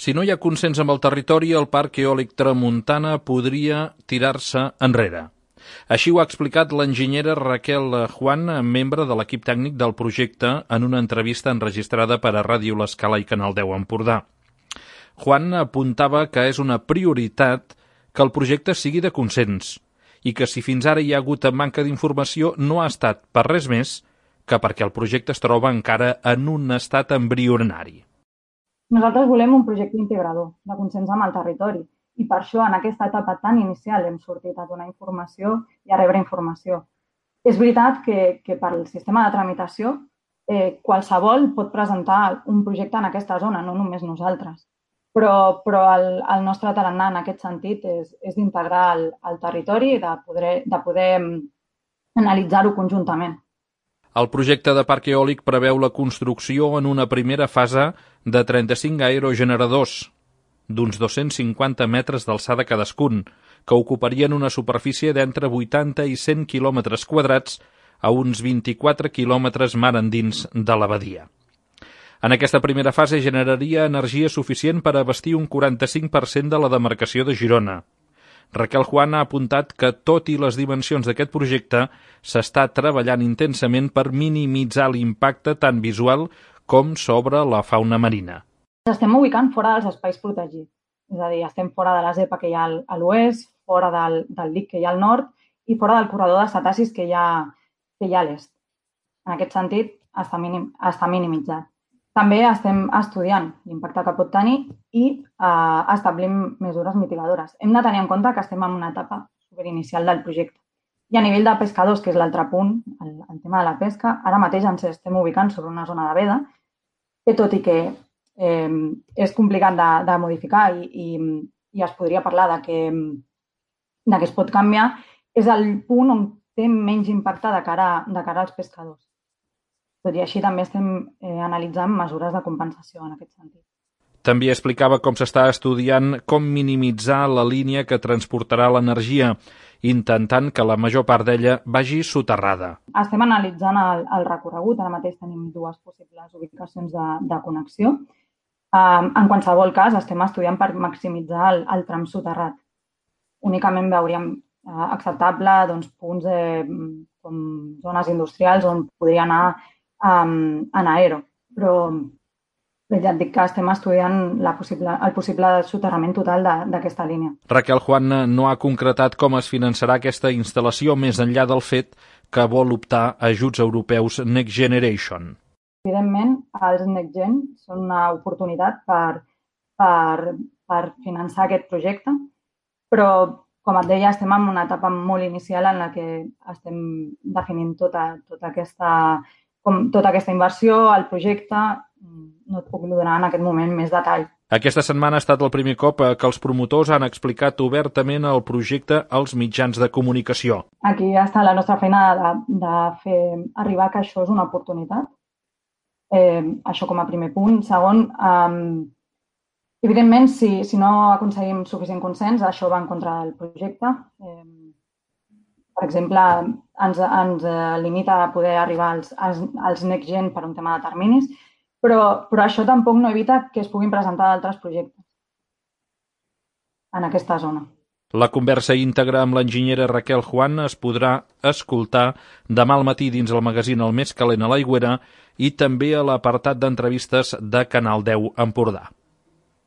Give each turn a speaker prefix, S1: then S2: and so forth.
S1: Si no hi ha consens amb el territori, el Parc Eòlic Tramuntana podria tirar-se enrere. Així ho ha explicat l'enginyera Raquel Juan, membre de l'equip tècnic del projecte, en una entrevista enregistrada per a Ràdio L'Escala i Canal 10 Empordà. Juan apuntava que és una prioritat que el projecte sigui de consens i que si fins ara hi ha hagut manca d'informació no ha estat per res més que perquè el projecte es troba encara en un estat embrionari.
S2: Nosaltres volem un projecte integrador, de consens amb el territori, i per això en aquesta etapa tan inicial hem sortit a donar informació i a rebre informació. És veritat que per al sistema de tramitació qualsevol pot presentar un projecte en aquesta zona, no només nosaltres. Però el nostre tarannà en aquest sentit és d'integrar el territori i de poder analitzar-ho conjuntament.
S1: El projecte de parc eòlic preveu la construcció en una primera fase de 35 aerogeneradors, d'uns 250 metres d'alçada cadascun, que ocuparien una superfície d'entre 80 i 100 quilòmetres quadrats a uns 24 quilòmetres mar endins de la badia. En aquesta primera fase generaria energia suficient per abastir un 45% de la demarcació de Girona. Raquel Juan ha apuntat que, tot i les dimensions d'aquest projecte, s'està treballant intensament per minimitzar l'impacte tant visual com sobre la fauna marina.
S2: Ens estem ubicant fora dels espais protegits, és a dir, estem fora de la zepa que hi ha a l'oest, fora del dic que hi ha al nord i fora del corredor de cetacis que hi ha a l'est. En aquest sentit, està minimitzat. També estem estudiant l'impacte que pot tenir i establint mesures mitigadores. Hem de tenir en compte que estem en una etapa superinicial del projecte. I a nivell de pescadors, que és l'altre punt, el tema de la pesca, ara mateix ens estem ubicant sobre una zona de veda, que tot i que és complicat de modificar i es podria parlar de que es pot canviar, és el punt on té menys impacte de cara als pescadors. Tot i així també estem analitzant mesures de compensació en aquest sentit.
S1: També explicava com s'està estudiant com minimitzar la línia que transportarà l'energia, intentant que la major part d'ella vagi soterrada.
S2: Estem analitzant el recorregut, ara mateix tenim dues possibles ubicacions de connexió. En qualsevol cas, estem estudiant per maximitzar el tram soterrat. Únicament veuríem acceptable punts com zones industrials on podria anar en aero, però ja et dic que estem estudiant el possible soterrament total d'aquesta línia.
S1: Raquel Juan no ha concretat com es finançarà aquesta instal·lació més enllà del fet que vol optar a ajuts europeus Next Generation.
S2: Evidentment, els Next Gen són una oportunitat per finançar aquest projecte, però, com et deia, estem en una etapa molt inicial en la que estem definint tota aquesta inversió, el projecte, no et puc donar en aquest moment més detall.
S1: Aquesta setmana ha estat el primer cop que els promotors han explicat obertament el projecte als mitjans de comunicació.
S2: Aquí està la nostra feina de fer arribar que això és una oportunitat. Això com a primer punt. Segon, evidentment, si no aconseguim suficient consens, això va en contra del projecte. Per exemple, ens limita a poder arribar als Next Gen per un tema de terminis, però això tampoc no evita que es puguin presentar altres projectes en aquesta zona.
S1: La conversa íntegra amb l'enginyera Raquel Juan es podrà escoltar demà al matí dins el magazín El Més Calent a l'Aigüera i també a l'apartat d'entrevistes de Canal 10 Empordà.